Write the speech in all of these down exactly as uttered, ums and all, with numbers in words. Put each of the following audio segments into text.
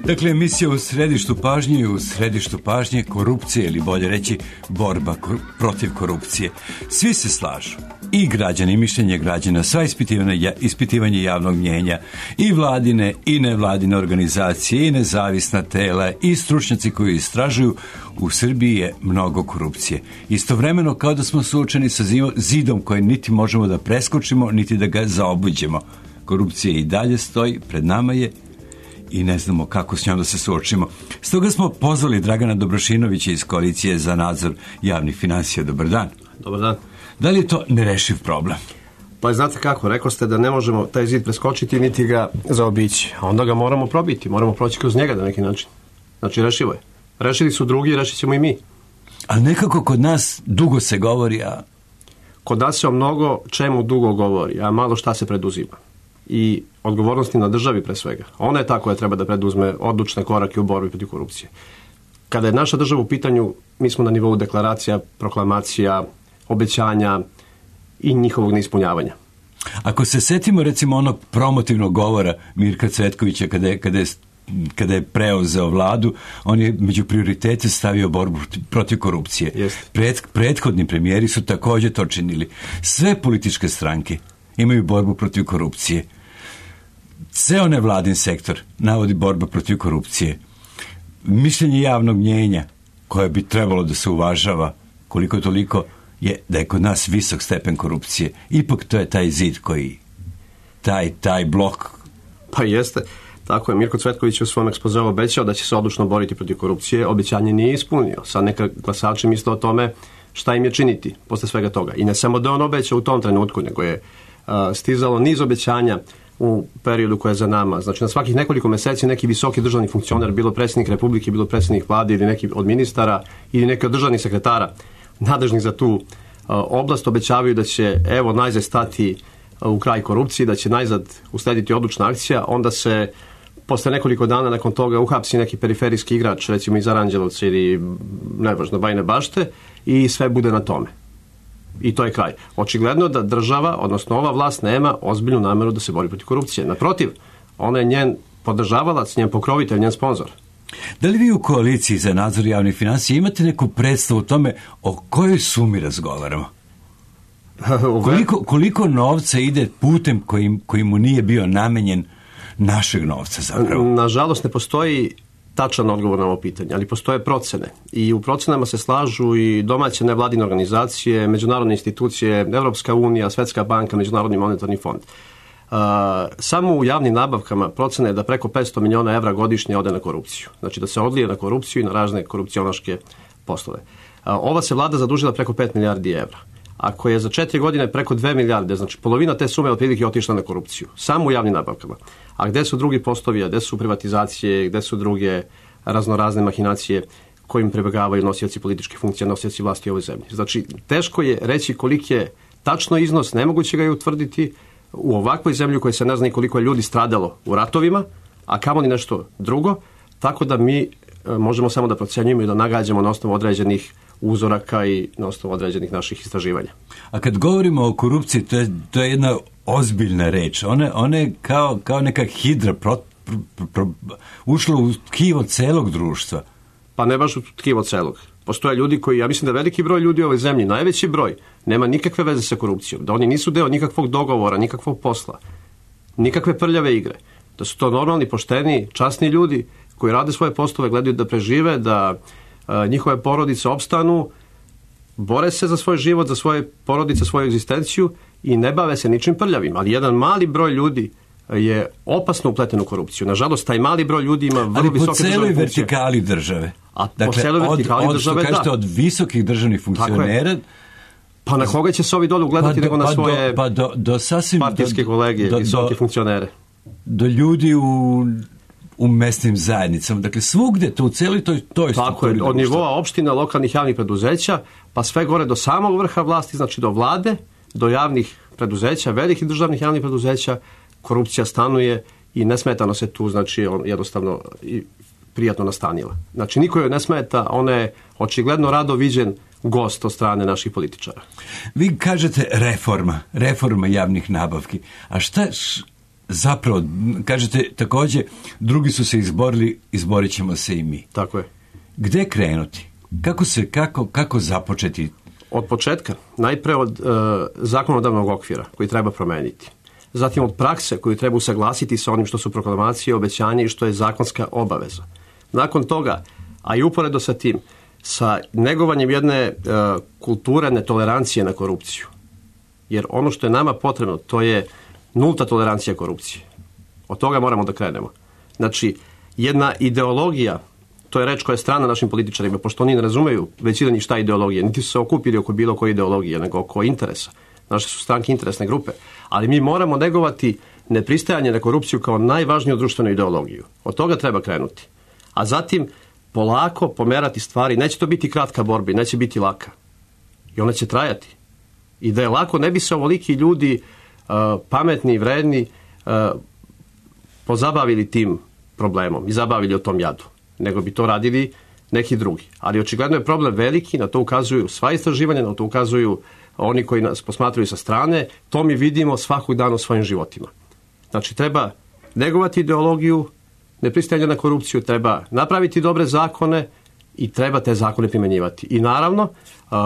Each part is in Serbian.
Dakle, emisija u središtu pažnje i u središtu pažnje korupcije, ili bolje reći borba kor- protiv korupcije. Svi se slažu, i građani, i mišljenje građana, sva ispitivanje, ispitivanje javnog mnjenja, i vladine, i nevladine organizacije, i nezavisna tela, i stručnjaci koji istražuju, u Srbiji je mnogo korupcije. Istovremeno kao da smo suočeni sa zidom koji niti možemo da preskočimo, niti da ga zaobiđemo. Korupcija i dalje stoji, pred nama je, i ne znamo kako s njom da se suočimo. Stoga smo pozvali Dragana Dobrošinovića iz Koalicije za nadzor javnih finansija. Dobar dan. Dobar dan. Da li je to nerešiv problem? Pa znate kako, rekao ste da ne možemo taj zid preskočiti niti ga zaobići. A onda ga moramo probiti, moramo proći kroz njega na neki način. Znači rešivo je. Rešili su drugi, rešit ćemo i mi. Ali nekako kod nas dugo se govori, a... Kod nas se o mnogo čemu dugo govori, a malo šta se preduzima. I odgovornosti na državi pre svega. Ona je ta koja treba da preduzme odlučne korake u borbi protiv korupcije. Kada je naša država u pitanju, mi smo na nivou deklaracija, proklamacija, obećanja i njihovog neispunjavanja. Ako se setimo recimo onog promotivnog govora Mirka Cvetkovića kada je, kada je, kada je preuzeo vladu, on je među prioritete stavio borbu protiv korupcije. Pred, prethodni premijeri su također to činili. Sve političke stranke imaju borbu protiv korupcije. Ceo nevladin sektor navodi borba protiv korupcije. Mišljenje javnog mnjenja koje bi trebalo da se uvažava koliko toliko je da je kod nas visok stepen korupcije. Ipak to je taj zid koji, taj, taj blok. Pa jeste. Tako je, Mirko Cvetković u svom ekspozeu obećao da će se odlučno boriti protiv korupcije. Obećanje nije ispunio. Sad neka glasači misle o tome šta im je činiti posle svega toga. I ne samo da on obećao u tom trenutku, nego je uh, stizalo niz obećanja u periodu koje je za nama. Znači na svakih nekoliko meseci neki visoki državni funkcioner, bilo predsjednik Republike, bilo predsjednik vlade ili neki od ministara ili neki od državnih sekretara nadležnih za tu uh, oblast obećavaju da će evo najzad stati uh, u kraj korupcije, da će najzad uslediti odlučna akcija, onda se posle nekoliko dana nakon toga uhapsi neki periferijski igrač, recimo iz Aranđelovca ili nevažno Bajine Bašte, i sve bude na tome. I to je kraj. Očigledno da država, odnosno ova vlast, nema ozbiljnu nameru da se bori protiv korupcije. Naprotiv, ona je njen podržavalac, njen pokrovitelj, njen sponzor. Da li vi u Koaliciji za nadzor javnih finansija imate neku predstavu o tome o kojoj sumi razgovaramo? Koliko, koliko novca ide putem koji, koji mu nije bio namenjen našeg novca zapravo? Nažalost ne postoji tačan odgovor na ovo pitanje, ali postoje procene. I u procenama se slažu i domaće nevladine organizacije, međunarodne institucije, Evropska unija, Svetska banka, Međunarodni monetarni fond. Uh, samo u javnim nabavkama procena je da preko petsto miliona evra godišnje ode na korupciju. Znači da se odlije na korupciju i na razne korupcionaške poslove. Uh, ova se vlada zadužila preko pet milijardi evra. Ako je za četiri godine preko dve milijarde, znači polovina te sume otprilike otišla na korupciju. Samo u javnim nabavkama. A gde su drugi poslovi, a gde su privatizacije, gde su druge raznorazne mahinacije kojim prebegavaju nosioci političke funkcije, nosioci vlasti u ovoj zemlji. Znači, teško je reći koliki je tačno iznos, nemoguće ga je utvrditi u ovakvoj zemlji u kojoj se ne zna koliko je ljudi stradalo u ratovima, a kamoli nešto drugo, tako da mi e, možemo samo da procenjujemo i da nagađamo na osnovu određenih uzoraka i na osnovu određenih naših istraživanja. A kad govorimo o korupciji, to je, to je jedna ozbiljna reč. Ona, ona je kao, kao neka hidra pro, pro, pro, ušla u tkivo celog društva. Pa ne baš u tkivo celog. Postoje ljudi koji, ja mislim da veliki broj ljudi u ovoj zemlji, najveći broj, nema nikakve veze sa korupcijom. Da oni nisu deo nikakvog dogovora, nikakvog posla, nikakve prljave igre. Da su to normalni, pošteni, časni ljudi koji rade svoje poslove, gledaju da prežive, da a, njihove porodice opstanu, bore se za svoj život, za svoje porodice, svoju egzistenciju i ne bave se ničim prljavim. Ali jedan mali broj ljudi je opasno upleten u korupciju. Nažalost, taj mali broj ljudi ima vrlo visoke državne funkcije. Ali po celoj vertikali države. A dakle, po celoj vertikali od, države, od, što kažete, da. Od visokih državnih funkcionera. Pa na koga će se ovi dole ugledati pa do, nego na svoje pa do, do sasvim, partijske do, kolege, do, visoke do, funkcionere? Do ljudi u, u mesnim zajednicama. Dakle, svugde, to u celoj toj, toj Tako je, od nivoa opština, lokalnih javnih preduzeća, pa sve gore do samog vrha vlasti, znači do vlade, do javnih preduzeća, velikih državnih javnih preduzeća, korupcija stanuje i nesmetano se tu, znači, on jednostavno i prijatno nastanila. Znači, niko joj ne smeta, ona je očigledno rado viđen gost od strane naših političara. Vi kažete reforma, reforma javnih nabavki. A šta, zapravo, kažete također, drugi su se izborili, izborit ćemo se i mi. Tako je. Gde krenuti? Kako se, kako, kako započeti? Od početka, najpre od e, zakonodavnog okvira koji treba promeniti. Zatim od prakse koju treba usaglasiti sa onim što su proklamacije, obećanje i što je zakonska obaveza. Nakon toga, a i uporedo sa tim, sa negovanjem jedne e, kulture netolerancije na korupciju. Jer ono što je nama potrebno, to je nulta tolerancija korupcije. Od toga moramo da krenemo. Znači, jedna ideologija, to je reč koja je strana našim političarima, pošto oni ne razumeju većina njih šta je ideologija, niti su se okupili oko bilo koje ideologije, nego oko interesa. Naše su stranke interesne grupe. Ali mi moramo negovati nepristajanje na korupciju kao najvažniju društvenu ideologiju. Od toga treba krenuti. A zatim, polako pomerati stvari. Neće to biti kratka borba, neće biti laka. I ona će trajati. I da je lako, ne bi se ovoliki ljudi uh, pametni i vredni uh, pozabavili tim problemom i zabavili o tom jadu. Nego bi to radili neki drugi. Ali očigledno je problem veliki, na to ukazuju sva istraživanja, na to ukazuju oni koji nas posmatraju sa strane, to mi vidimo svakog dana u svojim životima. Znači, treba negovati ideologiju, nepristajanje na korupciju, treba napraviti dobre zakone i treba te zakone primjenjivati. I naravno, uh,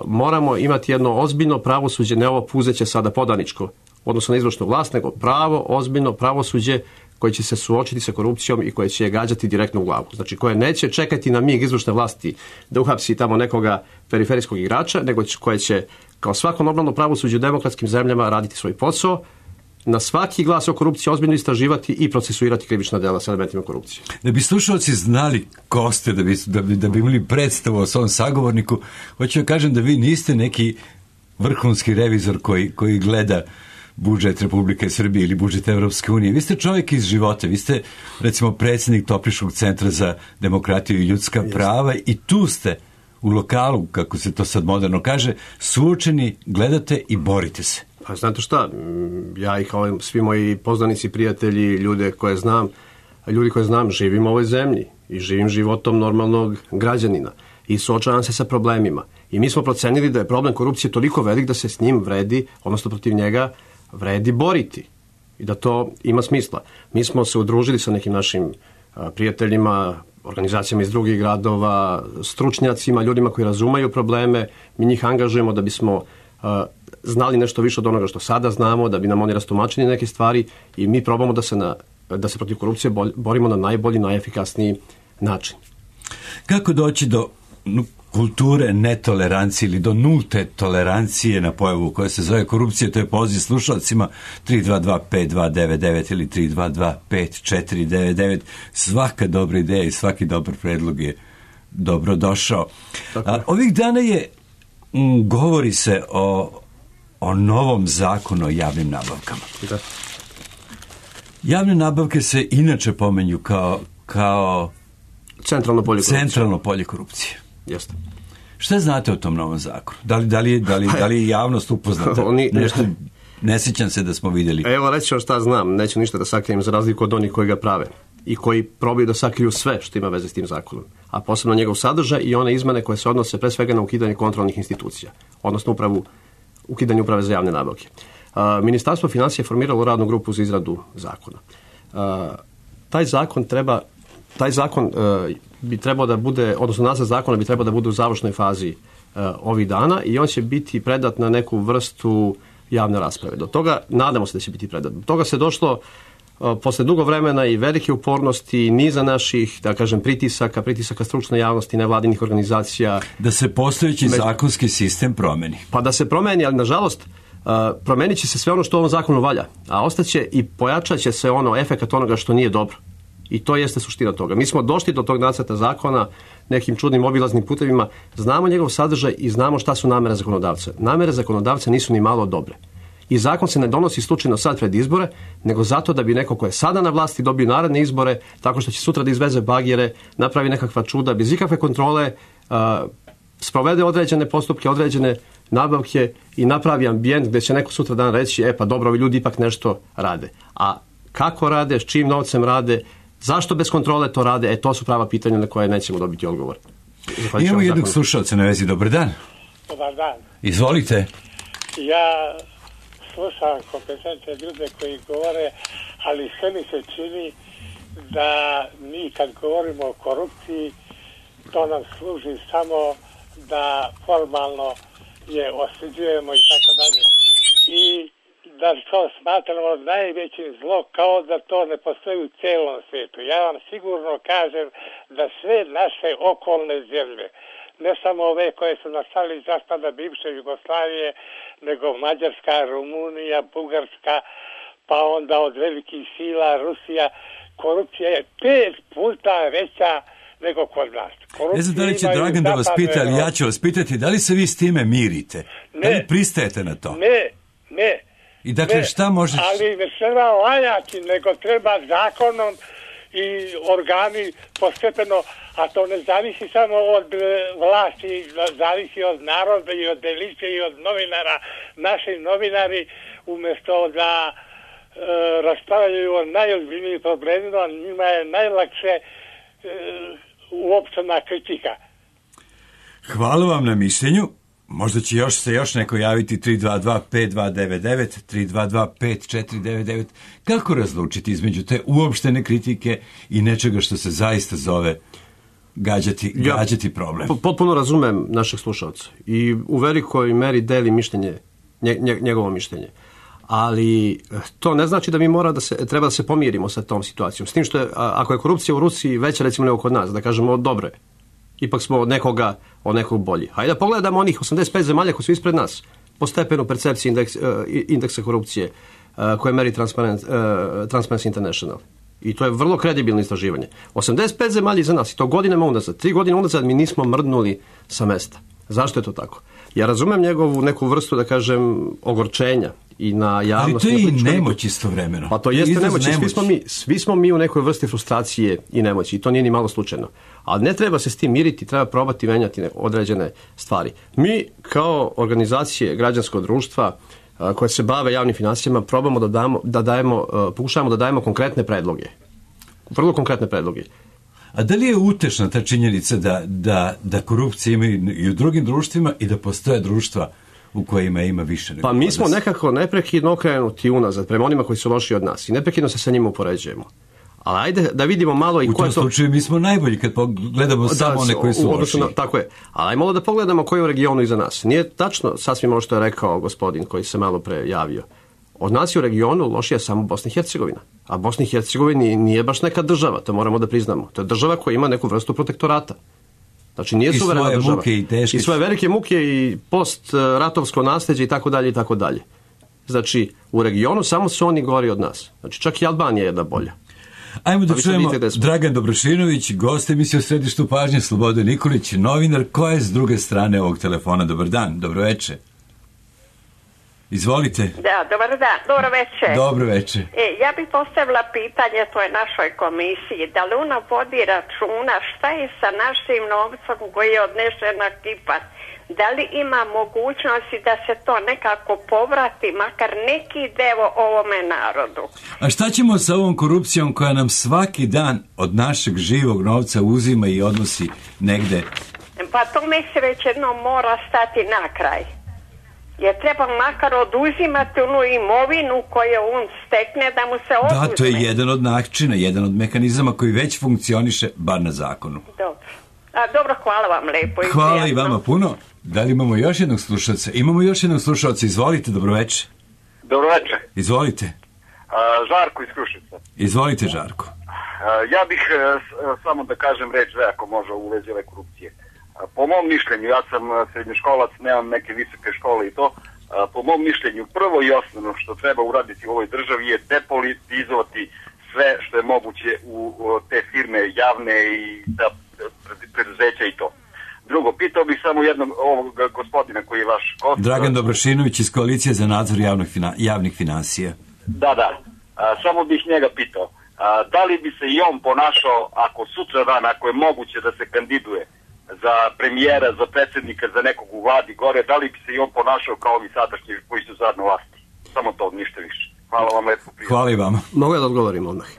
moramo imati jedno ozbiljno pravosuđe, ne ovo puzeće sada podaničko, odnosno na izvršnu vlast, nego pravo, ozbiljno pravosuđe koje će se suočiti sa korupcijom i koje će je gađati direktno u glavu. Znači, koje neće čekati na mig izvršne vlasti da uhapsi tamo nekoga periferijskog igrača, nego koje će, kao svako normalno pravosuđe u demokratskim zemljama, raditi svoj posao, na svaki glas o korupciji ozbiljno istraživati i procesuirati krivična dela sa elementima korupcije. Da bi slušalci znali ko ste, da bi, da bi, da bi imali predstavu o svom sagovorniku, hoću da kažem da vi niste neki vrhunski revizor koji, koji gleda budžet Republike Srbije ili budžet Evropske unije. Vi ste čovjek iz života, vi ste recimo predsjednik Topliškog centra za demokratiju i ljudska prava i tu ste u lokalu, kako se to sad moderno kaže, suočeni, gledate i borite se. Pa znate šta, ja i kao svi moji poznanici, prijatelji, ljude koje znam, ljudi koje znam, živim u ovoj zemlji i živim životom normalnog građanina i suočavam se sa problemima. I mi smo procenili da je problem korupcije toliko velik da se s njim vredi, odnosno protiv njega vredi boriti i da to ima smisla. Mi smo se udružili sa nekim našim a, prijateljima, organizacijama iz drugih gradova, stručnjacima, ljudima koji razumeju probleme. Mi njih angažujemo da bismo a, znali nešto više od onoga što sada znamo, da bi nam oni rastumačili neke stvari i mi probamo da se, na, da se protiv korupcije borimo na najbolji, najefikasniji način. Kako doći do kulture netolerancije ili do nulte tolerancije na pojavu koja se zove korupcija? To je poziv slušalcima tri dva dva pet dva devet devet ili tri dva dva pet četiri devet devet. Svaka dobra ideja i svaki dobar predlog je dobro došao. A, ovih dana je m, govori se o, o novom zakonu o javnim nabavkama. Da. Javne nabavke se inače pomenju kao, kao centralno polje korupcije. Centralno polje korupcije. Jeste. Šta znate o tom novom zakonu? Da li, da li, da li, da li je javnost upoznata? Oni, Nešto, ne sjećam se da smo vidjeli. Evo, reći vam šta znam. Neću ništa da sakrijem za razliku od onih koji ga prave i koji probaju da sakriju sve što ima veze s tim zakonom. A posebno njegov sadržaj i one izmene koje se odnose pre svega na ukidanje kontrolnih institucija. Odnosno upravu, ukidanje uprave za javne nabavke. A, Ministarstvo financija je formiralo radnu grupu za izradu zakona. A, taj zakon treba Taj zakon uh, bi trebao da bude, odnosno nacrt zakona bi trebao da bude u završnoj fazi uh, ovih dana i on će biti predat na neku vrstu javne rasprave. Do toga, nadamo se da će biti predat. Do toga se došlo uh, posle dugo vremena i velike upornosti, niza naših, da kažem, pritisaka, pritisaka stručne javnosti, nevladinih organizacija. Da se postojeći Među... zakonski sistem promeni. Pa da se promeni, ali nažalost uh, promenit će se sve ono što u ovom zakonu valja, a ostaće i pojačat će se ono, efekat onoga što nije dobro. I to jeste suština toga. Mi smo došli do tog nacrta zakona nekim čudnim obilaznim putevima, znamo njegov sadržaj i znamo šta su namere zakonodavca. Namere zakonodavca nisu ni malo dobre. I zakon se ne donosi slučajno sad pred izbore, nego zato da bi neko ko je sada na vlasti dobio naredne izbore, tako što će sutra da izveze bagere, napravi nekakva čuda, bez ikakve kontrole, uh, sprovede određene postupke, određene nabavke i napravi ambijent gdje će neko sutra dan reći, e pa dobro, ovi ljudi ipak nešto rade. A kako rade, s čim novcem rade, zašto bez kontrole to rade? E, to su prava pitanja na koje nećemo dobiti odgovor. Imamo jednog slušalca na vezi. Dobar dan. Dobar dan. Izvolite. Ja slušam kompetentne ljude koji govore, ali sve mi se čini da mi kad govorimo o korupciji, to nam služi samo da formalno je osuđujemo i tako dalje. I da to smatramo najvećim zlo, kao da to ne postoji u celom svijetu. Ja vam sigurno kažem da sve naše okolne zemlje, ne samo ove koje su nastali iz raspada bivše Jugoslavije, nego Mađarska, Rumunija, Bugarska, pa onda od velikih sila Rusija, korupcija je pet puta veća nego kod nas. Ne znam da li će Dragan da vas pita, ali ja ću vas pitati, da li se vi s time mirite? Ne, da li pristajete na to? Ne, ne. I dakle, ne, šta možeš... Ali ne treba lajati, nego treba zakonom i organi postepeno, a to ne zavisi samo od vlasti, zavisi od naroda i od elite i od novinara. Naši novinari, umjesto da e, raspravljaju o najozbiljnijim problemima, njima je najlakše e, uopštena kritika. Hvala vam na mišljenju. Možda će još se još neko javiti tri dva dva pet dva devet devet, tri dva dva pet četiri devet devet. Kako razlučiti između te uopštene kritike i nečega što se zaista zove gađati, ja gađati problem? Potpuno razumem našeg slušalca i u velikoj meri deli mišljenje, nje, njegovo mišljenje. Ali to ne znači da mi mora da se, treba da se pomirimo sa tom situacijom. S tim što je, ako je korupcija u Rusiji veća recimo nego kod nas, da kažemo dobro je, ipak smo od nekoga, od nekog bolji. Hajde da pogledamo onih osamdeset pet zemalja koji su ispred nas po stepenu percepcije indeks, uh, indeksa korupcije uh, koje meri Transparent, uh, Transparency International. I to je vrlo kredibilno istraživanje. osamdeset pet zemalja iza nas, i to godinama unazad. Tri godine unazad mi nismo mrdnuli sa mesta. Zašto je to tako? Ja razumem njegovu neku vrstu, da kažem, ogorčenja i na javnosti. Ali to je i nemoć istovremeno. Pa to jeste nemoć. Svi smo, mi, svi smo mi u nekoj vrsti frustracije i nemoći. I to nije ni malo slučajno. Ali ne treba se s tim miriti, treba probati menjati određene stvari. Mi kao organizacije građanskog društva koje se bave javnim financijama probamo da, damo, da dajemo, pokušavamo da dajemo konkretne predloge. Vrlo konkretne predloge. A da li je utešna ta činjenica da, da, da korupcija ima i u drugim društvima i da postoje društva u kojima ima više nego? Pa mi smo nekako neprekidno okrenuti unazad prema onima koji su loši od nas i neprekidno se sa njima upoređujemo. Ali ajde da vidimo malo i u tom to... slučaju mi smo najbolji kad pogledamo da, samo one koji su loši. Na, tako je. Ali ajmo malo da pogledamo koji je u regionu iza nas. Nije tačno sasvim ono što je rekao gospodin koji se malo pre javio. Od nas je u regionu lošija samo Bosna i Hercegovina. A Bosna i Hercegovina nije baš neka država, to moramo da priznamo. To je država koja ima neku vrstu protektorata. Znači nije suverena država. Muke i, teške. I svoje velike muke i post-ratovsko nasljeđe i tako dalje i tako dalje. Znači u regionu samo su oni gori od nas. Znači čak i Albanija je jedna bolja. Ajmo da čujemo Dragan Dobrošinović, gost emisije u Središtu pažnje, Slobodan Nikolić, novinar, ko je s druge strane ovog telefona. Dobar dan, dobro večer. Izvolite. Da, dobar dan, dobro večer. Dobro večer. E, ja bih postavila pitanje toj našoj komisiji, da li ona vodi računa šta je sa našim novcom koji je odnešen na Kipar? Da li ima mogućnosti da se to nekako povrati, makar neki deo ovome narodu? A šta ćemo sa ovom korupcijom koja nam svaki dan od našeg živog novca uzima i odnosi negde? Pa tome se već jednom mora stati na kraj. Jer treba makar oduzimati onu imovinu koju on stekne da mu se oduzme. Da, to je jedan od načina, jedan od mehanizama koji već funkcioniše, bar na zakonu. Dobro. A, dobro, hvala vam lepo. Hvala i vama puno. Da li imamo još jednog slušalca? Imamo još jednog slušalca, izvolite, dobroveče. Dobroveče. Izvolite. Uh, Žarko iz Kruševca. Izvolite, Žarko. Uh, ja bih uh, samo da kažem reč dve ako može u vezi ove korupcije. Uh, po mom mišljenju, ja sam srednjoškolac, nemam neke visoke škole i to, uh, po mom mišljenju prvo i osnovno što treba uraditi u ovoj državi je depolitizovati sve što je moguće u, u te firme javne i da preduzeća i to. Drugo, pitao bih samo jednog ovog gospodina koji je vaš gost. Dragan Dobrošinović iz Koalicije za nadzor javnih, fina, javnih finansija. Da, da. A, samo bih njega pitao. A, da li bi se i on ponašao, ako sutra dan, ako je moguće da se kandiduje za premijera, za predsjednika, za nekog u vladi gore, da li bi se i on ponašao kao ovi sadašnji koji su zadno vlasti? Samo to, ništa više. Hvala vam lepo. Prijatelj. Hvala i vama. Mogu ja da odgovorim odmah.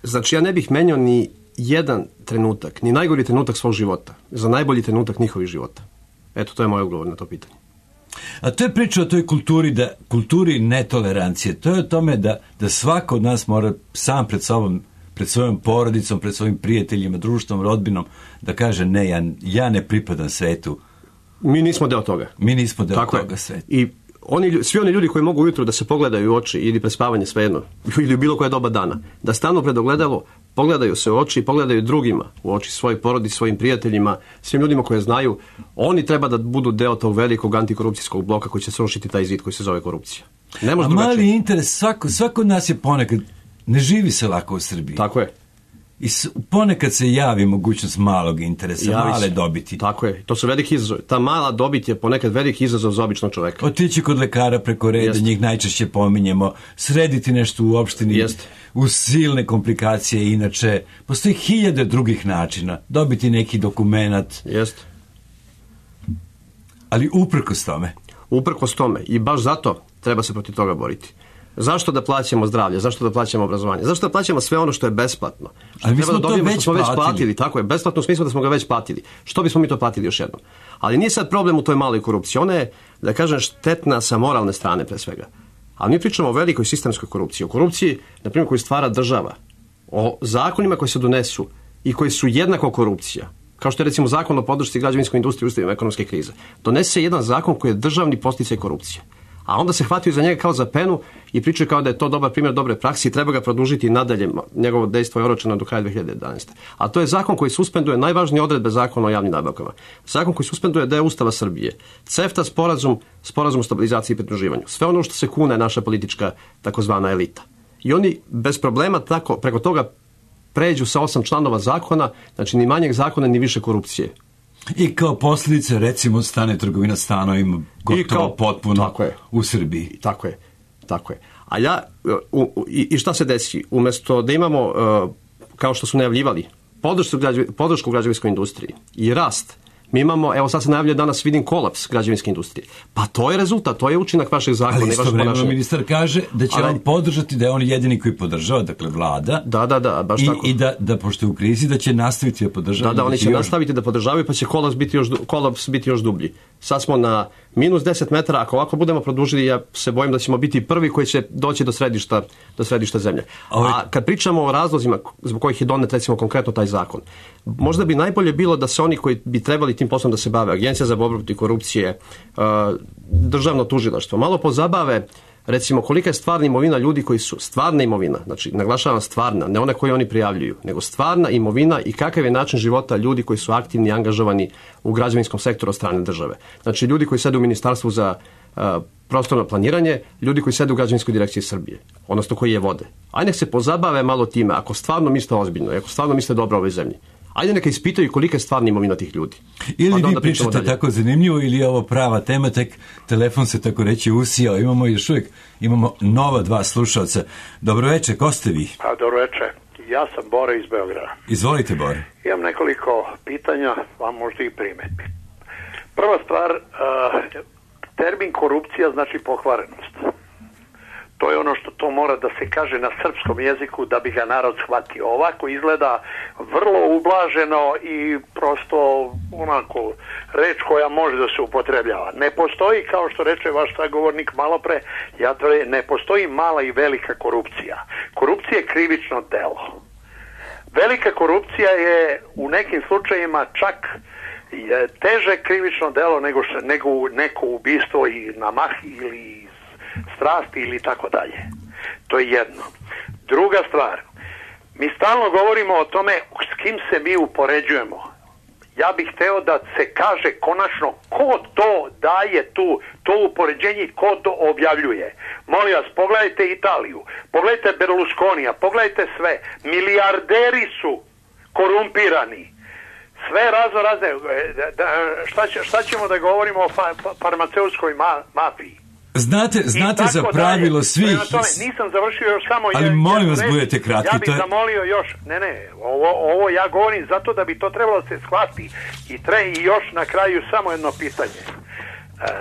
Znači, ja ne bih menjao ni jedan trenutak, ni najgori trenutak svog života, za najbolji trenutak njihovih života. Eto, to je moj odgovor na to pitanje. A to je priča o toj kulturi, da, kulturi netolerancije. To je o tome da, da svako od nas mora sam pred sobom, pred svojom porodicom, pred svojim prijateljima, društvom, rodbinom, da kaže ne, ja, ja ne pripadam svetu. Mi nismo deo toga. Mi nismo deo Tako toga je. sveta. I oni, svi oni ljudi koji mogu ujutru da se pogledaju u oči ili pred spavanje svejedno, ili u bilo koje doba dana, da stanu pred ogledalo, pogledaju se u oči i pogledaju drugima u oči, svojoj porodici, svojim prijateljima, svim ljudima koje znaju, oni treba da budu deo tog velikog antikorupcijskog bloka koji će srušiti taj zid koji se zove korupcija. Ne može A drugačije. mali interes, svako, svako od nas je ponekad, ne živi se lako u Srbiji. Tako je. I s, ponekad se javi mogućnost malog interesa, Javi male se. dobiti. Tako je. To su veliki izazovi. Ta mala dobit je ponekad veliki izazov za običnog čoveka. Otići kod lekara preko reda, Jeste. njih najčešće pominjemo, srediti nešto u opštini, Jeste. uz silne komplikacije, inače, postoji hiljade drugih načina, dobiti neki dokumenat, Jeste. ali uprkos tome. Uprkos tome. I baš zato treba se protiv toga boriti. Zašto da plaćamo zdravlje? Zašto da plaćamo obrazovanje? Zašto da plaćamo sve ono što je besplatno? Što Ali mi treba smo da to dobijemo, već što smo već platili. platili. Tako je, besplatno u smislu da smo ga već platili. Što bismo mi to platili još jednom? Ali nije sad problem u toj maloj korupciji. Ona je, da kažem, štetna sa moralne strane pre svega. Ali mi pričamo o velikoj sistemskoj korupciji. O korupciji, na primjer, koju stvara država. O zakonima koji se donesu i koji su jednako korupcija. Kao što je recimo zakon o podršci građevinskoj industriji u uslovima ekonomske krize. Donese jedan zakon koji je državni podsticaj korupcije. A onda se hvataju za njega kao za penu i pričaju kao da je to dobar primjer dobre prakse i treba ga produžiti i nadalje. Njegovo dejstvo je oročeno do kraja dve hiljade jedanaeste. A to je zakon koji suspenduje najvažnije odredbe zakona o javnim nabavkama. Zakon koji suspenduje deo Ustava Srbije. CEFTA sporazum, sporazum o stabilizaciji i pridruživanju. Sve ono što se kune naša politička takozvana elita. I oni bez problema tako preko toga pređu sa osam članova zakona, znači ni manjeg zakona ni više korupcije. I kao posljedice, recimo, stane trgovina stanovima gotovo kao- potpuno tako je. u Srbiji. Tako je, tako je. A ja, u, u, i i šta se desi? Umjesto da imamo, uh, kao što su najavljivali, podršku, građe, podršku građevinskoj industriji i rast, mi imamo, evo sad se najavljuje danas, vidim kolaps građevinske industrije. Pa to je rezultat, to je učinak vašeg zakona Ali i vašeg istovremeno ponašanja. ministar kaže da će Ali- on podržati, da je on jedini koji podržava, dakle vlada, Da, da, da, baš i, tako. i da, da pošto je u krizi, da će nastaviti da podržava. Da, da, oni će još- nastaviti da podržavaju, pa će kolaps biti još, du- kolaps biti još dublji. Sad smo na minus deset metara, ako ovako budemo produžili, ja se bojim da ćemo biti prvi koji će doći do središta, do središta zemlje. Ovaj- A kad pričamo o razlozima zbog kojih je donet, recimo, konkretno taj zakon, možda bi najbolje bilo da se oni koji bi trebali tim poslom da se bave, Agencija za borbu protiv korupcije, uh, državno tužilaštvo, malo pozabave, recimo, kolika je stvarna imovina ljudi koji su, stvarna imovina, znači naglašavam stvarna, ne ona koju oni prijavljuju, nego stvarna imovina i kakav je način života ljudi koji su aktivni i angažovani u građevinskom sektoru od strane države. Znači ljudi koji sede u Ministarstvu za uh, prostorno planiranje, ljudi koji sede u Građevinskoj direkciji Srbije, odnosno koji je vode. Ajde nek se pozabave malo time, ako stvarno misle ozbiljno, ako stvarno misle dobro ovoj zemlji. Ajde neka ispitaju kolika je stvarna imovina tih ljudi. Ili Pa da vi onda pričamo pričate dalje. tako zanimljivo, ili je ovo prava tema, tek telefon se tako reći usijao. Imamo još uvijek, imamo nova dva slušalca. Dobro večer, ko ste vi? A dobro večer. Ja sam Bore iz Beograda. Izvolite, Bore. Imam nekoliko pitanja, a možda i primjedbi. Prva stvar, uh, termin korupcija znači pokvarenost. To je ono što to mora da se kaže na srpskom jeziku da bi ga narod shvatio. Ovako izgleda vrlo ublaženo i prosto onako reč koja može da se upotrebljava. Ne postoji, kao što reče vaš sagovornik malo pre, ja tvrdim, ne postoji mala i velika korupcija. Korupcija je krivično delo. Velika korupcija je u nekim slučajevima čak je teže krivično delo nego, š- nego neko ubistvo i na mah ili strasti ili tako dalje. To je jedno. Druga stvar, mi stalno govorimo o tome s kim se mi upoređujemo. Ja bih hteo da se kaže konačno ko to daje tu, to upoređenje i ko to objavljuje. Molim vas, pogledajte Italiju, pogledajte Berlusconija, pogledajte sve. Milijarderi su korumpirani. Sve razno razne. Da, da, šta, će, šta ćemo da govorimo o fa, fa, farmaceutskoj ma, mafiji? Znate, znate za tako pravilo dalje. svih... Prema tome, nisam završio još samo... Ali je- molim jednu vas, reč. budete kratki, Ja bih to je- zamolio još... Ne, ne, ovo, ovo ja govorim zato da bi to trebalo da se shvati. I, tre, I još na kraju samo jedno pitanje. E,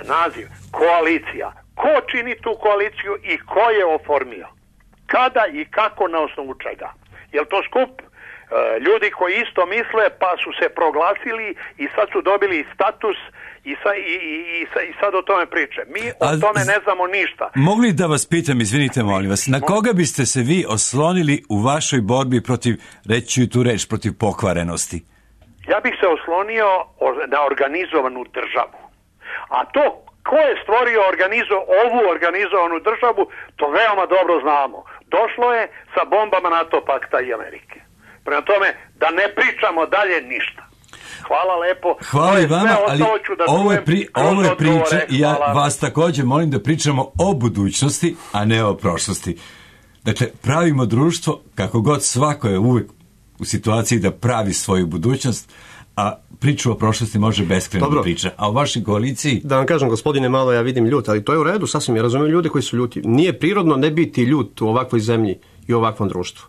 naziv. Koalicija. Ko čini tu koaliciju i ko je oformio? Kada i kako, na osnovu čega? Je li to skup ljudi koji isto misle pa su se proglasili i sad su dobili status i, sa, i, i, i sad o tome priče. Mi o A, tome ne znamo ništa. Mogu li da vas pitam, izvinite molim vas, na koga biste se vi oslonili u vašoj borbi protiv, reći tu reč, protiv pokvarenosti? Ja bih se oslonio na organizovanu državu. A to ko je stvorio organizo, ovu organizovanu državu, to veoma dobro znamo. Došlo je sa bombama NATO pakta i Amerike. Prema tome, da ne pričamo dalje ništa. Hvala lepo. Hvala i vama, ali ovo je, pri, ovo je priča i ja vas također molim da pričamo o budućnosti, a ne o prošlosti. Dakle, pravimo društvo, kako god svako je uvijek u situaciji da pravi svoju budućnost, a priču o prošlosti može beskrajno da priča. A u vašoj koaliciji... Da vam kažem, gospodine, malo ja vidim ljut, ali to je u redu, sasvim ja razumijem ljude koji su ljuti. Nije prirodno ne biti ljut u ovakvoj zemlji i u ovakvom društvu.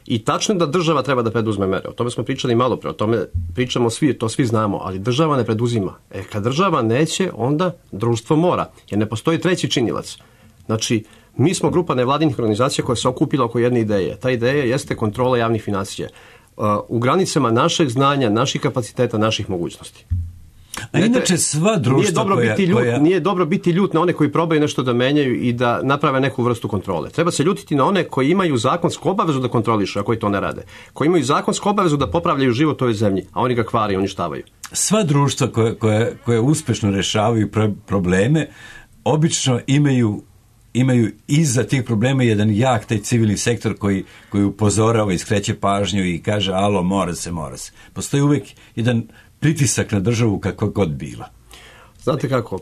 I tačno da država treba da preduzme mere. O tome smo pričali malo pre, o tome pričamo svi, to svi znamo, ali država ne preduzima. E, kad država neće, onda društvo mora, jer ne postoji treći činilac. Znači, mi smo grupa nevladinih organizacija koja se okupila oko jedne ideje. Ta ideja jeste kontrola javnih financija. U granicama našeg znanja, naših kapaciteta, naših mogućnosti. A inače sva društva nije dobro, koja, biti ljut, koja... nije dobro biti ljut na one koji probaju nešto da menjaju i da naprave neku vrstu kontrole. Treba se ljutiti na one koji imaju zakonsku obavezu da kontrolišu, a koji to ne rade. Koji imaju zakonsku obavezu da popravljaju život u ovoj zemlji, a oni ga kvare i uništavaju. Sva društva koje, koje, koje uspešno rešavaju probleme, obično imaju imaju iza tih problema jedan jak taj civilni sektor koji, koji upozorava i skreće pažnju i kaže alo, mora se, mora se. Postoji uvijek jedan pritisak na državu kako god bila. Znate kako,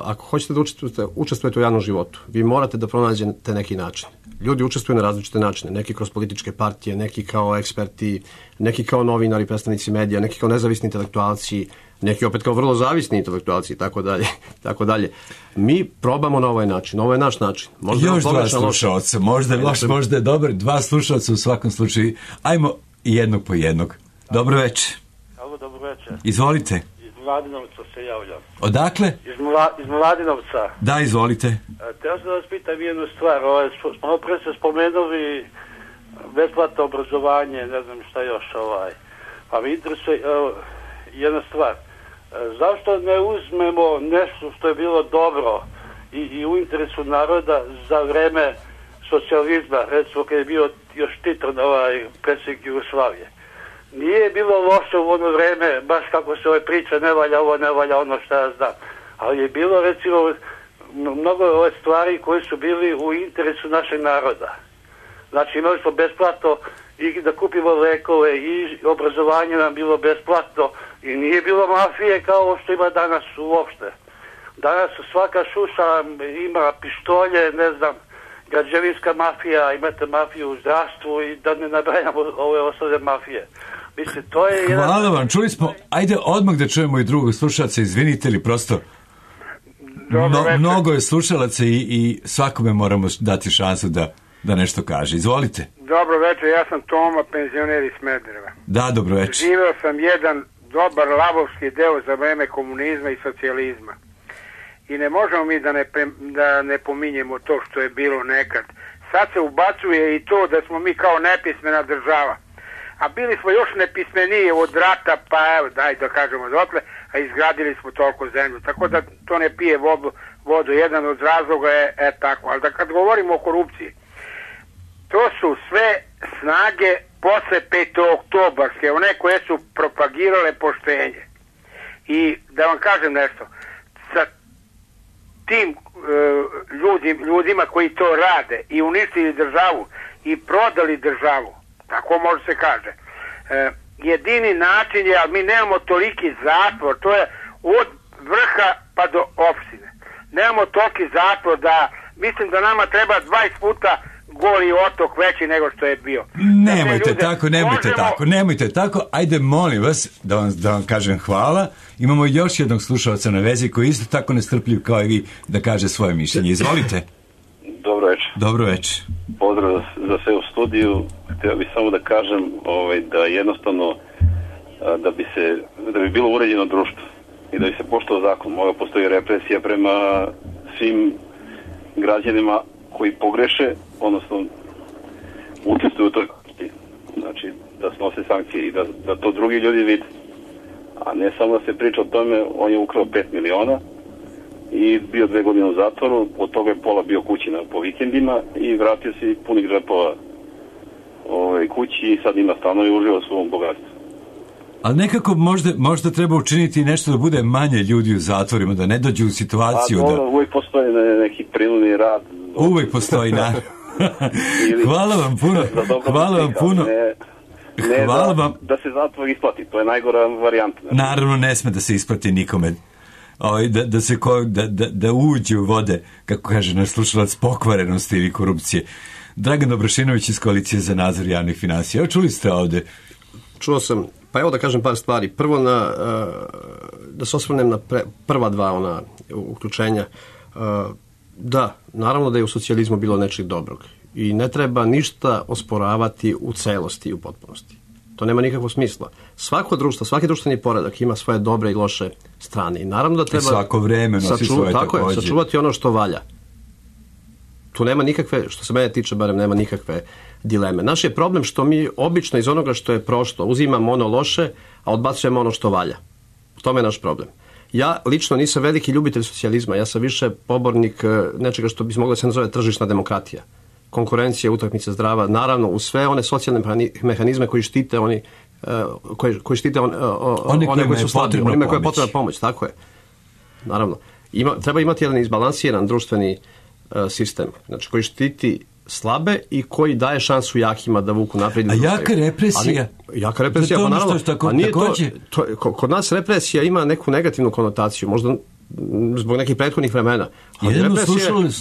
ako hoćete da učestvujete, učestvujete u javnom životu, vi morate da pronađete neki način. Ljudi učestvuju na različite načine, neki kroz političke partije, neki kao eksperti, neki kao novinari, predstavnici medija, neki kao nezavisni intelektualci, neki opet kao vrlo zavisni intelektualci i tako dalje, tako dalje. Mi probamo na ovaj način, ovo je naš način. Možda još dva slušalca, možda je loš, možda je dobar, dva slušalca u svakom slučaju. Ajmo jednog po jednog. Dobro večer. Halo, dobro večer. Izvolite. Iz Mladinovca se javljam. Odakle? Iz, Mla, iz Mladinovca. Da, izvolite. Teo sam da vas pitam jednu stvar. Ovaj, malo pre ste spomenuli besplatno obrazovanje, ne znam šta još. Ovaj. Pa mi interesuje uh, jedna stvar. Zašto ne uzmemo nešto što je bilo dobro i, i u interesu naroda za vreme socijalizma, recimo kad je bio još Tito, ovaj, predsjednik Jugoslavije. Nije bilo loše u ono vreme, baš kako se ove priče, ne valja ovo, ne valja ono što ja znam. Ali je bilo, recimo, mnogo ove stvari koje su bili u interesu našeg naroda. Znači, imali smo besplatno i da kupimo lekove i obrazovanje nam bilo besplatno i nije bilo mafije kao što ima danas uopšte. Danas svaka šuša ima pištolje, ne znam, građevinska mafija, imate mafiju u zdravstvu i da ne nabrajamo ove ostale mafije. Mislim, to je jedan... Hvala vam, čuli smo, ajde odmah da čujemo i drugog slušalca, izvinite li prosto... Mno, mnogo je slušalaca i, i svakome moramo dati šansu da, da nešto kaže. Izvolite. Dobro večer, ja sam Toma, penzioner iz Smedereva. Da, dobro večer. Živeo sam jedan dobar lavovski deo za vreme komunizma i socijalizma. I ne možemo mi da ne, da ne pominjemo to što je bilo nekad. Sad se ubacuje i to da smo mi kao nepismena država. A bili smo još nepismeniji od rata, pa evo, daj da kažemo dotle, a izgradili smo toliko zemlju. Tako da to ne pije vodu, vodu. Jedan od razloga je e, tako. Ali da kad govorimo o korupciji, to su sve snage posle petooktobarske, one koje su propagirale poštenje. I da vam kažem nešto, sa tim e, ljudi, ljudima koji to rade i uništili državu i prodali državu, tako može se kaže, e, jedini način je, ali mi nemamo toliki zatvor, to je od vrha pa do opštine. Nemamo toliki zatvor da, mislim da nama treba dvadeset puta goli otok veći nego što je bio. Nemojte ljude, tako, nemojte možemo... tako, nemojte tako. Ajde, molim vas, da vam, da vam kažem hvala. Imamo još jednog slušalca na vezi koji isto tako nestrpljiv kao i vi da kaže svoje mišljenje. Izvolite. Dobro večer. Dobro večer. Pozdrav za sve u studiju. Htio bih samo da kažem ovaj, da jednostavno da bi se da bi bilo uređeno društvo i da bi se poštovao zakon. Mora postoji represija prema svim građanima koji pogreše, odnosno učestvuju u toj korupciji. Znači, da snose sankcije i da, da to drugi ljudi vide. A ne samo da se priča o tome, on je ukrao pet miliona i bio dve godine u zatvoru, od toga je pola bio kući na, po vikendima i vratio se punih džepova ovaj, kući i sad ima stano i uživa u svom bogatstvu. Ali nekako možda, možda treba učiniti nešto da bude manje ljudi u zatvorima, da ne dođu u situaciju. A, da... uvijek postoji neki prinudni rad. Uvijek postoji, na. Hvala vam puno. Hvala vam puno. Ne, ne Hvala da, vam. da se zatvor isplati, to je najgora varijanta. Naravno, ne sme da se isplati nikome. O, da, da, se ko, da, da, da uđe u vode, kako kaže naš slušalac, pokvarenosti ili korupcije. Dragan Dobrašinović iz Koalicije za nadzor javnih finansija. Evo, čuli ste ovde? Čuo sam, pa evo da kažem par stvari. Prvo, na, da se osvrnem na pre, prva dva ona uključenja. Da, naravno da je u socijalizmu bilo nečeg dobrog. I ne treba ništa osporavati u celosti i u potpunosti. To nema nikakvog smisla. Svako društvo, svaki društveni poredak ima svoje dobre i loše strane. I naravno da treba... I svako vreme nosi saču, svoje tako takođe. Je, sačuvati ono što valja. Tu nema nikakve, što se mene tiče, barem nema nikakve dileme. Naš je problem što mi obično iz onoga što je prošlo uzimamo ono loše, a odbacujemo ono što valja. U tome je naš problem. Ja lično nisam veliki ljubitelj socijalizma, ja sam više pobornik nečega što bi se moglo da se nazove tržišna demokratija. Konkurencija, utakmica zdrava, naravno uz sve one socijalne mehanizme koji štite oni koji, koji štite on, one, one koji su slabi, onima koje je potrebna pomoć, tako je. Naravno. Ima, treba imati jedan izbalansiran društveni uh, sistem, znači koji štiti slabe i koji daje šansu jakima da vuku naprijed. A jaka represija? Ali, jaka represija, pa naravno. Tako, a nije to, to, kod nas represija ima neku negativnu konotaciju, možda zbog nekih prethodnih vremena. Jedno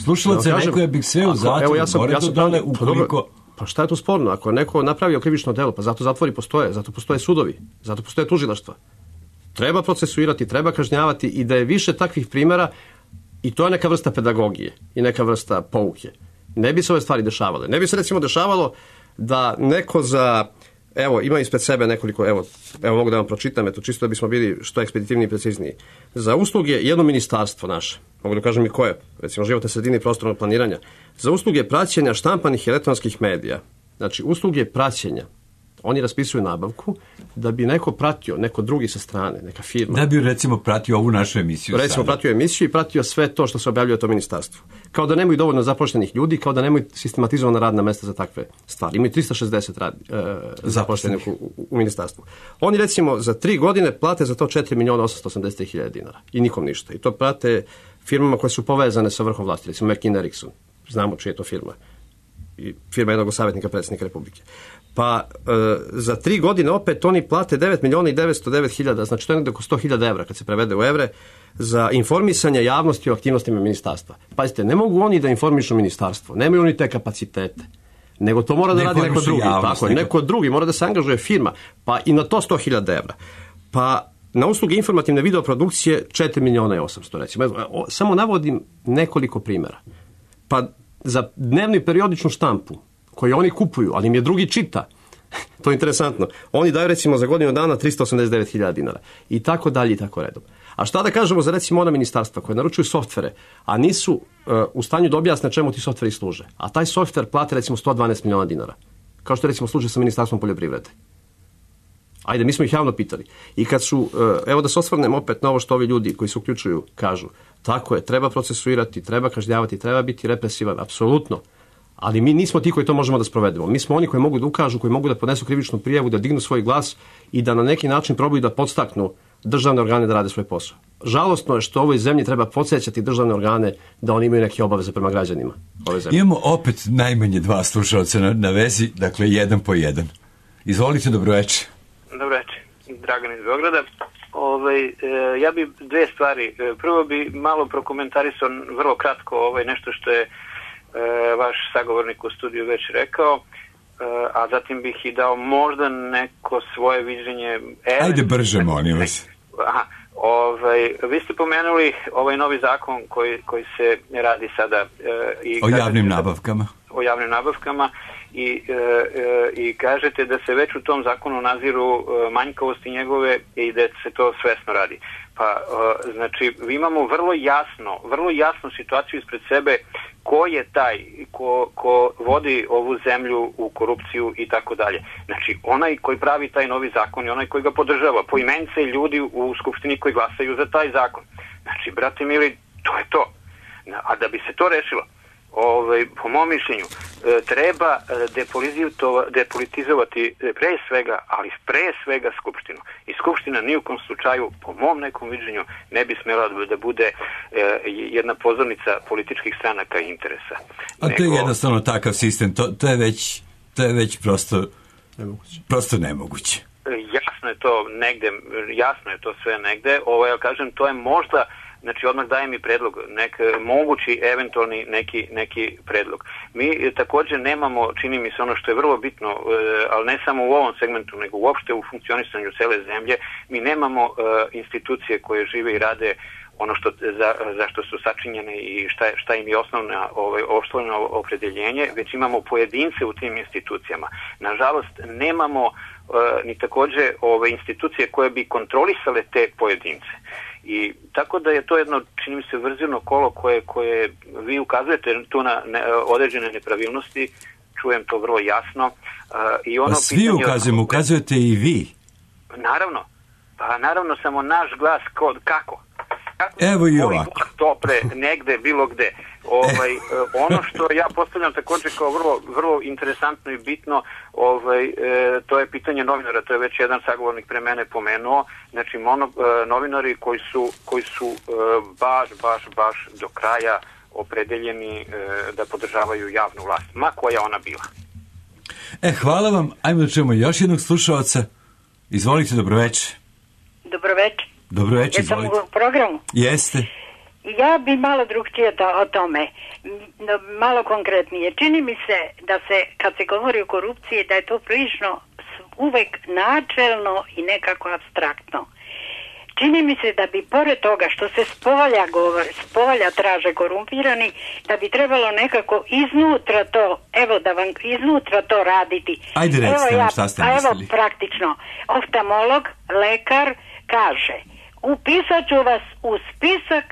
slušalac je neko je bih sve u zatvoru, evo ja sam, more ja sam, to dole ukoliko... Pa šta je to sporno? Ako je neko napravio krivično delo, pa zato zatvori postoje, zato postoje sudovi, zato postoje tužilaštva. Treba procesuirati, treba kažnjavati i da je više takvih primjera i to je neka vrsta pedagogije i neka vrsta pouke. Ne bi se ove stvari dešavale. Ne bi se recimo dešavalo da neko za, evo, ima ispred sebe nekoliko, evo, evo mogu da vam pročitam, eto, čisto da bismo bili što ekspeditivniji i precizniji. Za usluge jedno ministarstvo naše, mogu da kažem i koje, recimo životne sredine i prostornog planiranja, za usluge praćenja štampanih i elektronskih medija, znači usluge praćenja, oni raspisuju nabavku da bi neko pratio, neko drugi sa strane, neka firma. Da bi recimo pratio ovu našu emisiju. Recimo sada. Pratio emisiju i pratio sve to što se objavljuje to ministarstvo. Kao da nemaju dovoljno zaposlenih ljudi, kao da nemaju sistematizovana radna mesta za takve stvari. Imaju tristo šezdeset rad, e, zaposlenih u, u, u ministarstvu. Oni recimo za tri godine plate za to četiri miliona osamsto osamdeset hiljada dinara. I nikom ništa. I to prate firmama koje su povezane sa vrhom vlasti. Recimo McKinsey Erickson. Znamo čija je to firma. I firma jednog savjetnika predsjednika Republike. Pa e, za tri godine opet oni plate devet miliona i devetsto devet hiljada, znači to je nekako oko sto hiljada evra kad se prevede u evre, za informisanje javnosti o aktivnostima ministarstva. Pazite, ne mogu oni da informišu ministarstvo, nemaju oni te kapacitete, nego to mora da ne radi neko drugi. Javnost, tako, neko... neko drugi, mora da se angažuje firma, pa i na to sto hiljada evra. Pa na usluge informativne videoprodukcije četiri miliona i osamsto, recimo. O, samo navodim nekoliko primjera. Pa za dnevnu periodičnu štampu, koju oni kupuju, ali im je drugi čita. To je interesantno. Oni daju recimo za godinu dana tristo osamdeset devet hiljada dinara. I tako dalje i tako redom. A šta da kažemo za recimo ona ministarstva koje naručuju softvere, a nisu uh, u stanju da objasne čemu ti softveri služe. A taj softver plate recimo sto dvanaest miliona dinara. Kao što je recimo slučaj sa Ministarstvom poljoprivrede. Ajde, mi smo ih javno pitali. I kad su, uh, evo da se osvrnem opet na ovo što ovi ljudi koji se uključuju kažu, tako je, treba procesuirati, treba kažnjavati, treba biti represivan, apsolutno. Ali mi nismo ti koji to možemo da sprovedemo. Mi smo oni koji mogu da ukažu, koji mogu da podnesu krivičnu prijavu, da dignu svoj glas i da na neki način probaju da podstaknu državne organe da rade svoj posao. Žalostno je što ovoj zemlji treba podsjećati državne organe da oni imaju neke obaveze prema građanima ove zemlje. Imamo opet najmanje dva slušalca na, na vezi, dakle jedan po jedan. Izvolite, dobroveče. Dobroveče, Dragan iz Beograda. Ovaj, e, ja bi dve stvari. Prvo bi malo prokomentarisao vrlo kratko ovaj, nešto što je vaš sagovornik u studiju već rekao, a zatim bih i dao možda neko svoje viđenje. Ajde brže, molim vas. Aha, ovaj, vi ste pomenuli ovaj novi zakon koji, koji se radi sada. I o javnim nabavkama. O javnim nabavkama i, e, e, i kažete da se već u tom zakonu naziru e, manjkavosti njegove i da se to svesno radi. Pa, e, znači, imamo vrlo jasno, vrlo jasnu situaciju ispred sebe ko je taj ko, ko vodi ovu zemlju u korupciju i tako dalje. Znači, onaj koji pravi taj novi zakon i onaj koji ga podržava, poimence ljudi u Skupštini koji glasaju za taj zakon. Znači, brate mili, to je to. A da bi se to rešilo, ovaj, po mom mišljenju, treba depolitizovati pre svega, ali pre svega Skupštinu. I Skupština ni u kom slučaju, po mom nekom viđenju, ne bi smjela da bude jedna pozornica političkih stranaka i interesa. A to je jednostavno takav sistem, to, to je već, to je već prosto nemoguće. Prosto nemoguće. Jasno je to negde, jasno je to sve negde, ovo ja kažem, to je možda. Znači, odmah daje mi predlog, nek, mogući, eventualni neki, neki predlog. Mi također nemamo, čini mi se ono što je vrlo bitno, ali ne samo u ovom segmentu, nego uopšte u funkcionisanju cele zemlje, mi nemamo uh, institucije koje žive i rade ono što, za, za što su sačinjene i šta, šta im je osnovna, ovaj, osnovno opredeljenje, već imamo pojedince u tim institucijama. Nažalost, nemamo uh, ni također ove institucije koje bi kontrolisale te pojedince. I tako da je to jedno, čini mi se, vrzirno kolo koje, koje vi ukazujete tu na ne, određene nepravilnosti, čujem to vrlo jasno. Uh, i ono pa svi pitanje, ukazujemo, ukazujete i vi. Naravno, pa naravno samo naš glas kod, kako? Kako Evo i ovako. Topre negde, bilo gde. Ovaj, eh. Ono što ja postavljam također kao vrlo, vrlo interesantno i bitno, ovaj, eh, to je pitanje novinara, to je već jedan sagovornik pre mene pomenuo, znači mono, eh, novinari koji su, koji su eh, baš, baš, baš do kraja opredeljeni eh, da podržavaju javnu vlast, ma koja ona bila. E, hvala vam, ajmo da čujemo još jednog slušalca. Izvolite, dobroveče. Dobroveče. Dobroveče, izvolite. Jesam u programu? Jeste. Ja bi malo drugčije o tome, malo konkretnije. Čini mi se da se, kad se govori o korupciji, da je to prilično uvek načelno i nekako abstraktno. Čini mi se da bi pored toga što se spolja govori, spolja traže korumpirani, da bi trebalo nekako iznutra to, evo da vam iznutra to raditi. Ajde recite evo nam ja, šta ste a evo mislili. praktično, oftalmolog, lekar kaže, upisat ću vas u spisak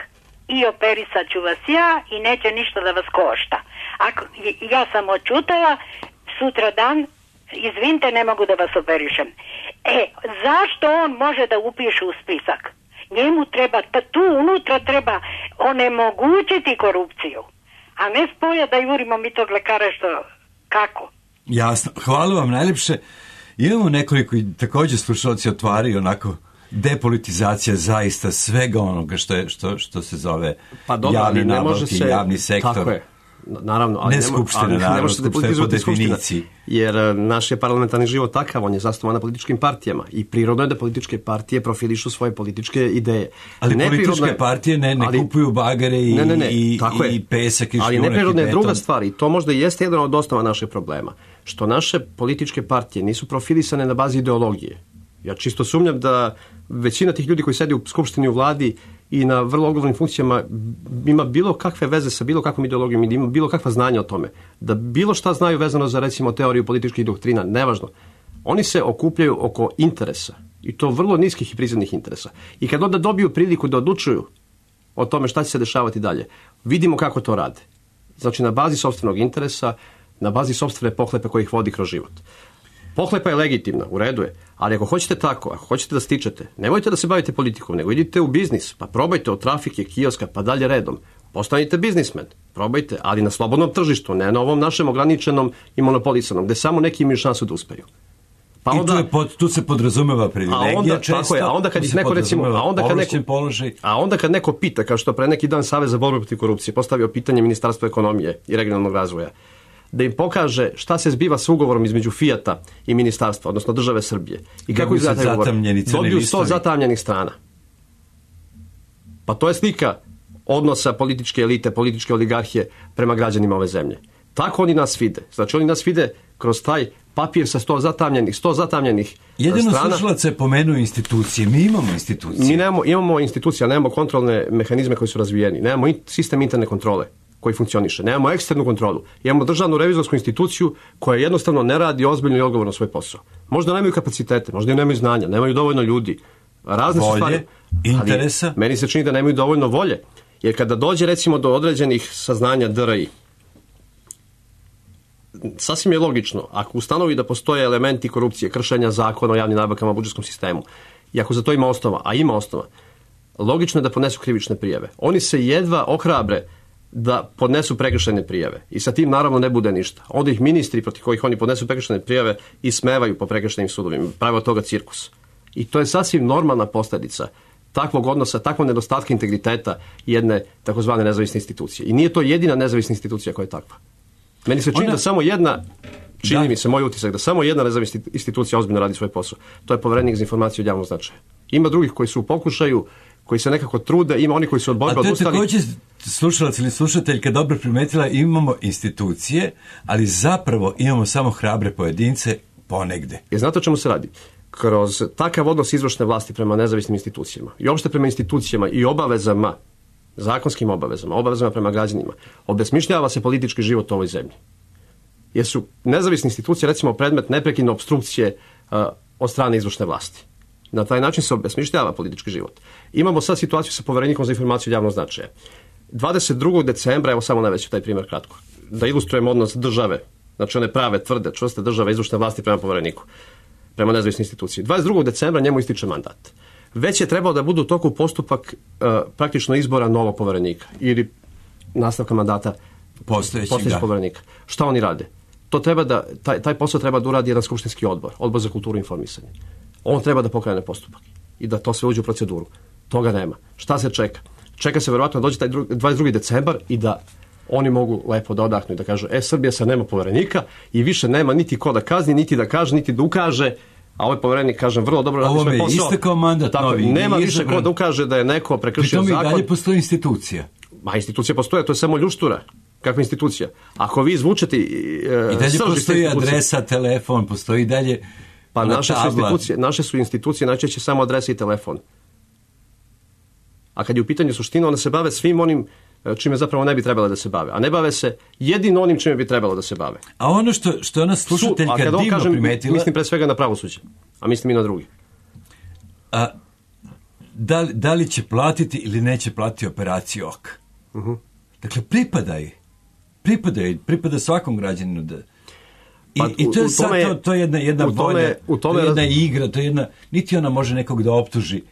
i operisat ću vas ja i neće ništa da vas košta. Ako ja sam očutala, sutra dan, izvinite, ne mogu da vas operišem. E, zašto on može da upiše u spisak? Njemu treba, tu unutra treba onemogućiti korupciju, a ne spolja da jurimo mi tog lekara što, kako? Jasno, hvala vam najljepše. Imamo nekoliko također slušalci otvaraju onako depolitizacija zaista svega onoga što, je, što, što se zove pa dobro, javni nabavki, se, javni sektor. Tako je. Naravno, ali ne skupština, naravno, skupština je po definiciji. Jer naš je parlamentarni život takav, on je zasnovan na političkim partijama i prirodno je da političke partije profilišu svoje političke ideje. Ali ne političke je, partije ne, ne ali, kupuju bagare i, ne, ne, ne, i, i pesak i šljunak. Ali neprirodno je druga stvar i to možda jeste jedan od osnova našeg problema. Što naše političke partije nisu profilisane na bazi ideologije. Ja čisto sumnjam da većina tih ljudi koji sedi u skupštini, u vladi i na vrlo odgovornim funkcijama ima bilo kakve veze sa bilo kakvom ideologijom i ima bilo kakva znanja o tome. Da bilo šta znaju vezano za recimo teoriju političkih doktrina, nevažno. Oni se okupljaju oko interesa i to vrlo niskih i prizemnih interesa. I kad onda dobiju priliku da odlučuju o tome šta će se dešavati dalje, vidimo kako to rade. Znači na bazi sopstvenog interesa, na bazi sopstvene pohlepe koji ih vodi kroz život. Pohlepa je legitimna, u redu je, ali ako hoćete tako, ako hoćete da stičete, nemojte da se bavite politikom, nego idite u biznis, pa probajte od trafike, kioska, pa dalje redom. Postanite biznismen, probajte, ali na slobodnom tržištu, ne na ovom našem ograničenom i monopolisanom, gde samo neki imaju šansu da uspeju. Pa onda, I tu, je pod, tu se podrazumeva privilegija a onda, često, tako je, a onda kad ih neko recimo, a onda kad neko, položaj. a onda kad neko pita, kao što pre neki dan Savez za borbu protiv korupcije postavio pitanje Ministarstva ekonomije i regionalnog razvoja, da im pokaže šta se zbiva s ugovorom između Fijata i ministarstva, odnosno države Srbije. I kako izgleda taj ugovor? Dobiju sto zatamljenih strana. Pa to je slika odnosa političke elite, političke oligarhije prema građanima ove zemlje. Tako oni nas vide. Znači oni nas vide kroz taj papir sa sto zatamljenih, sto zatamljenih Jedino strana. Jedino slušalac je pomenuo institucije. Mi imamo institucije. Mi nemamo, imamo institucije, ali nemamo kontrolne mehanizme koji su razvijeni. Nemamo in, sistem interne kontrole koji funkcioniše. Nemamo eksternu kontrolu. Imamo državnu revizorsku instituciju koja jednostavno ne radi ozbiljno i odgovorno svoj posao. Možda nemaju kapacitete, možda nemaju znanja, nemaju dovoljno ljudi. Razne volje, stvari, interesa. Ali meni se čini da nemaju dovoljno volje. Jer kada dođe recimo do određenih saznanja D R I, sasvim je logično, ako ustanovi da postoje elementi korupcije, kršenja zakona o javnim nabavkama u budžetskom sistemu, i ako za to ima osnova, a ima osnova, logično je da podnesu krivične prijave. Oni se jedva ohrabre da podnesu prekršajne prijave. I sa tim naravno ne bude ništa. Onda ih ministri protiv kojih oni podnesu prekršajne prijave ismevaju po prekršajnim sudovima. Prave od toga cirkus. I to je sasvim normalna posljedica takvog odnosa, takvog nedostatka integriteta jedne takozvane nezavisne institucije. I nije to jedina nezavisna institucija koja je takva. Meni se čini Ona... da samo jedna, čini da. mi se moj utisak, da samo jedna nezavisna institucija ozbiljno radi svoj posao. To je Poverenik za informacije od javnog značaja. Ima drugih koji su u pokušaju, koji se nekako trude, ima oni koji su od borbe odustali. A to je također slušalac ili slušateljka dobro primetila, imamo institucije, ali zapravo imamo samo hrabre pojedince ponegde. Jer znate o čemu se radi? Kroz takav odnos izvršne vlasti prema nezavisnim institucijama i uopšte prema institucijama i obavezama, zakonskim obavezama, obavezama prema građanima, obesmišljava se politički život u ovoj zemlji. Jer su nezavisne institucije, recimo, predmet neprekidne opstrukcije uh, od strane izvršne vlasti. Na taj način se obesmišljava politički život. Imamo sad situaciju sa Poverenikom za informaciju od javnog značaja. dvadeset drugog decembra, evo samo navešću taj primjer kratko, da ilustrujem odnos države, znači one prave, tvrde, čvrste države izvršne vlasti prema Povereniku, prema nezavisnoj instituciji. dvadeset drugog decembra njemu ističe mandat. Već je trebao da budu u toku postupak uh, praktično izbora novog Poverenika ili nastavka mandata postojećeg Poverenika. Šta oni rade? To treba da, taj, taj posao treba da uradi jedan skupštinski odbor, odbor za kulturu i informisanje. On treba da pokrene postupak i da to sve uđe u proceduru. Toga nema. Šta se čeka? Čeka se verovatno da dođe taj dvadeset drugi decembar i da oni mogu lepo da odahnu i da kažu, e, Srbija sad nema Poverenika i više nema niti ko da kazni, niti da kaže, niti da ukaže, a ovaj Poverenik, kažem, vrlo dobro radi svoj posao. Ovo je istekao mandat tako, novi. Nema više ko da ukaže da je neko prekršio zakon. Pritom i dalje postoji institucija. Ma, institucija postoje, to je samo ljuštura. Kakva institucija? Ako vi izvučete... I dalje postoji adresa, telefon, postoji i dalje... Pa naše su, institucije, naše su institucije najčešće samo adresa i telefon. A kad je u pitanju suština, one se bave svim onim čime zapravo ne bi trebalo da se bave. A ne bave se jedino onim čime bi trebalo da se bave. A ono što, što je ona slušateljka divno kažem, primetila... Mislim pre svega na pravosuđe, a mislim i na drugi. A, da, li, da li će platiti ili neće platiti operaciju oka? Uh-huh. Dakle, pripada je. Pripada je, pripada svakom građaninu da... I, pa, i to je u, sad, tome, to, to je jedna, jedna volja, to je jedna igra, to je jedna... Niti ona može nekog da optuži,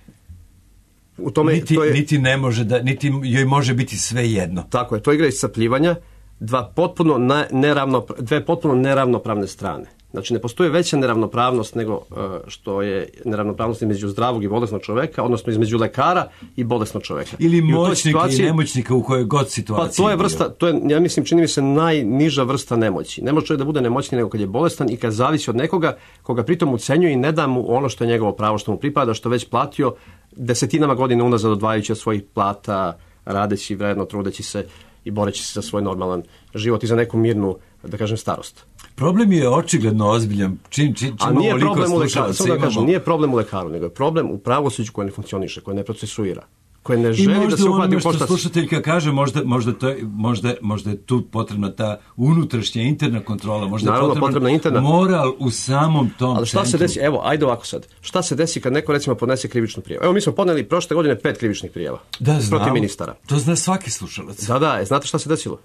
U tome, niti, to je, niti ne može da, niti joj može biti sve jedno. Tako je, to je igra iscrpljivanja dva potpuno ne, neravno, dve potpuno neravnopravne strane. Znači, ne postoji veća neravnopravnost nego uh, što je neravnopravnost između zdravog i bolesnog čoveka, odnosno između lekara i bolesnog čoveka. Ili I moćnika situaciji, i nemoćnika u kojoj god situaciji. Pa to je vrsta, to je, ja mislim, čini mi se najniža vrsta nemoći. Ne može čovjek da bude nemoćni nego kad je bolestan i kad zavisi od nekoga koga pritom ucenjuje i ne da mu ono što je njegovo pravo, što mu pripada, što već platio desetinama godina unazad odvajajući od svojih plata, radeći vredno, trudeći se i boreći se za svoj normalan život i za neku mirnu, da kažem, starost. Problem je očigledno ozbiljan. Čim, čim, čim A nije problem u lekaru, samo da kažem, nije problem u lekaru, nego je problem u pravosuđu koje ne funkcioniše, koje ne procesuira, koje ne želi da se uhvati u koštac. I možda ono što slušateljka kaže, možda, možda, to je, možda, možda je tu potrebna ta unutrašnja interna kontrola, možda je Naravno, potrebna interna moral u samom tom Ali šta centru. se desi, evo, ajde ovako sad, šta se desi kad neko recimo podnese krivičnu prijavu? Evo, mi smo podneli prošle godine pet krivičnih prijava da, protiv ministara. To zna svaki slušalac. Da, da, znate šta se desilo?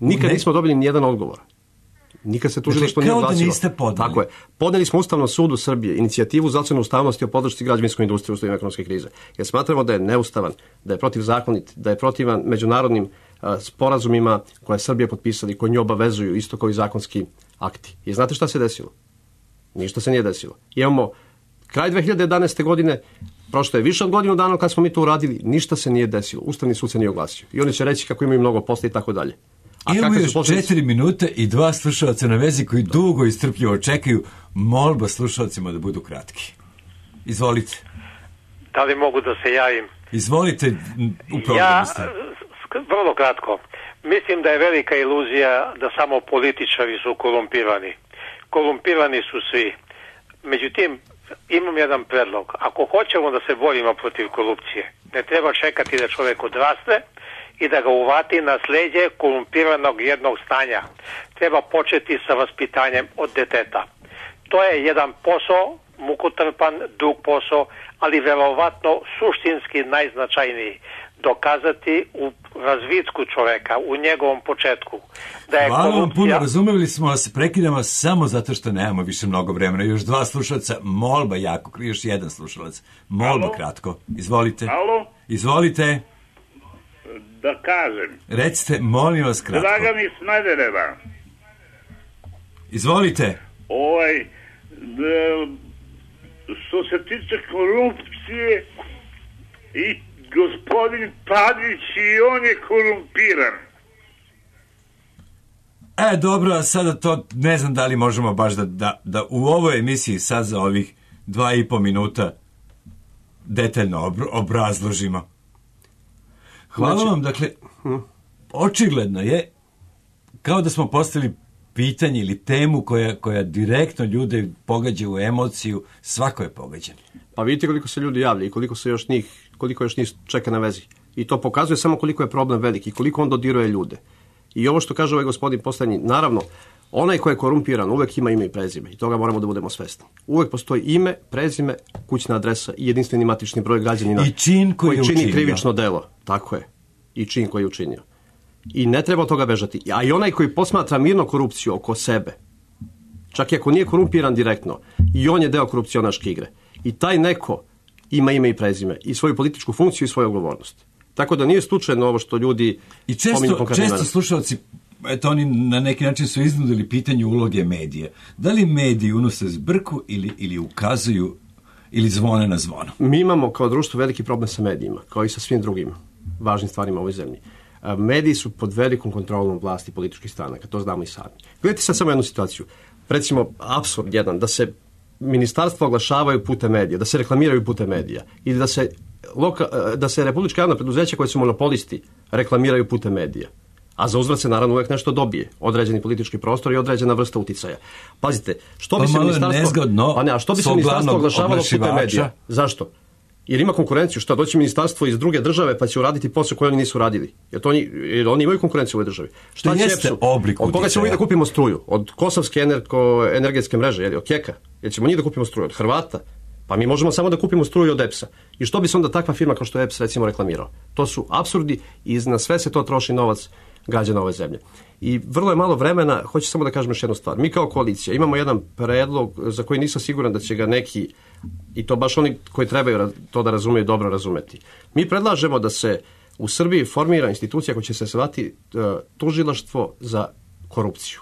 Nikad ne. nismo dobili nijedan odgovor. Nikad se tužilaštvo nije oglasilo. Tako je. Podneli smo Ustavnom sudu Srbije inicijativu za ocenu ustavnosti o podršci građevinskoj industriji u uslovima ekonomske krize. Jer smatramo da je neustavan, da je protivzakonit, da je protivan međunarodnim a, sporazumima koje je Srbija potpisala i koji nju obavezuju isto kao i zakonski akti. I znate šta se desilo? Ništa se nije desilo. Imamo kraj dve hiljade jedanaeste. godine, prošlo je više od godinu dana kad smo mi to uradili, ništa se nije desilo. Ustavni sud se nije oglasio. I oni će reći kako imaju mnogo posla i tako dalje. A imamo još posljedice? četiri minute i dva slušalca na vezi koji dugo i strpljivo čekaju. Molba slušalcima da budu kratki. Izvolite. Da li mogu da se javim? Izvolite, u programu ja, ste. Vrlo kratko. Mislim da je velika iluzija da samo političari su korumpirani. Korumpirani su svi. Međutim, imam jedan predlog. Ako hoćemo da se borimo protiv korupcije, ne treba čekati da čovjek odraste i da ga uvati na sleđe korumpiranog jednog stanja. Treba početi sa vaspitanjem od deteta. To je jedan posao, mukotrpan, dug posao, ali verovatno suštinski najznačajniji. Dokazati u razvitku čoveka, u njegovom početku. Da je Hvala vam korupcija... puno, razumeli smo vas, prekidamo samo zato što nemamo više mnogo vremena. Još dva slušalca, molba jako, još jedan slušalac. Molba Alo? kratko. Izvolite. Alo? Izvolite. Da kažem. Recite, molim vas kratko. Dragan iz Smedereva. Izvolite. Ovaj, da, što se tiče korupcije i gospodin Tadić i on je korumpiran. E, dobro, a sada to ne znam da li možemo baš da, da, da u ovoj emisiji sad za ovih dva i po minuta detaljno obr- obrazložimo. Hvala Znači, vam, dakle, očigledno je kao da smo postavili pitanje ili temu koja, koja direktno ljude pogađa u emociju, svako je pogađan. Pa vidite koliko se ljudi javlja i koliko se još njih, koliko još njih čeka na vezi. I to pokazuje samo koliko je problem veliki, koliko on dodiruje ljude. I ovo što kaže ovaj gospodin poslednji, naravno, onaj ko je korumpiran uvek ima ime i prezime i toga moramo da budemo svesni. Uvek postoji ime, prezime, kućna adresa i jedinstveni matični broj građanina I čin koji, koji čini učinio. krivično delo. Tako je. I čin koji je učinio. I ne treba od toga bežati. A i onaj koji posmatra mirno korupciju oko sebe, čak i ako nije korumpiran direktno, i on je deo korupcionaške igre. I taj neko ima ime i prezime i svoju političku funkciju i svoju odgovornost. Tako da nije slučajno ovo što ljudi I često, često slušalci, eto, oni na neki način su iznudili pitanje uloge medija. Da li mediji unose zbrku ili, ili ukazuju ili zvone na zvono? Mi imamo kao društvo veliki problem sa medijima, kao i sa svim drugim važnim stvarima u ovoj zemlji. Mediji su pod velikom kontrolom vlasti političkih stranaka, to znamo i sami. Gledajte sad samo jednu situaciju. Recimo, apsurd jedan, da se ministarstva oglašavaju putem medija, da se reklamiraju putem medija ili da se, loka, da se republička javna preduzeća koje su monopolisti reklamiraju putem medija. A za uzvrat se naravno uvek nešto dobije, određeni politički prostor i određena vrsta uticaja. Pazite, što bi pa se ministarstvo... Nezgodno, pa ne, a što bi se ministarstvo oglašavalo putem medija? Zašto? Jer ima konkurenciju, što doći ministarstvo iz druge države pa će uraditi posao koji oni nisu radili. Jer, to oni, jer oni imaju konkurenciju u ovoj državi. Šta to će jeste EPS-u? oblik Od koga ćemo mi da kupimo struju? Od Kosovske energo, energetske mreže, jel, od Keka? Jer ćemo njih da kupimo struju? Od Hrvata? Pa mi možemo samo da kupimo struju od E P S-a. I što bi se onda takva firma kao što je E P S recimo reklamirao? To su apsurdi i na sve se to troši novac građana ove zemlje. I vrlo je malo vremena, hoću samo da kažem još jednu stvar. Mi kao koalicija imamo jedan predlog za koji nisam siguran da će ga neki, i to baš oni koji trebaju to da razumeju, dobro razumeti. Mi predlažemo da se u Srbiji formira institucija koja će se zvati uh, tužilaštvo za korupciju.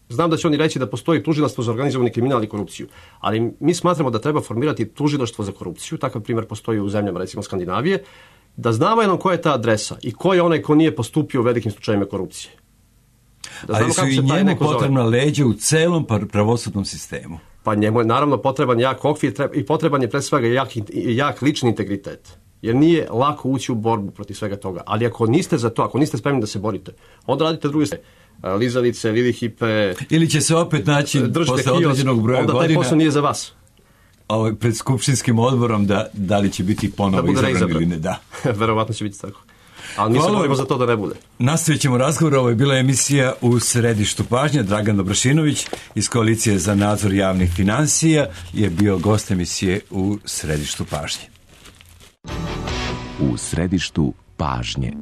Znam da će oni reći da postoji tužilaštvo za organizovani kriminal i korupciju, ali mi smatramo da treba formirati tužilaštvo za korupciju, takav primjer postoji u zemljama recimo Skandinavije, da znamo jednom koja je ta adresa i ko je onaj ko nije postupio u velikim slučajima korupcije. Da ali su i njemu potrebna leđa u celom pravosudnom sistemu. Pa njemu je naravno potreban jak okvir i potreban je pre svega jak, jak lični integritet. Jer nije lako ući u borbu protiv svega toga. Ali ako niste za to, ako niste spremni da se borite, onda radite druge stvari. Lizalice, Lilihipe... Ili će se opet naći posle određenog broja onda godina... Onda taj posao nije za vas. Ovaj, pred skupštinskim odborom da, da li će biti ponovo da izabran ili ne, da. Verovatno će biti tako. Ali mi se borimo za to da ne bude. Nastavit ćemo razgovor. Ovo je bila emisija U središtu pažnje. Dragan Dobrašinović iz Koalicije za nadzor javnih financija je bio gost emisije U središtu pažnje. U središtu pažnje.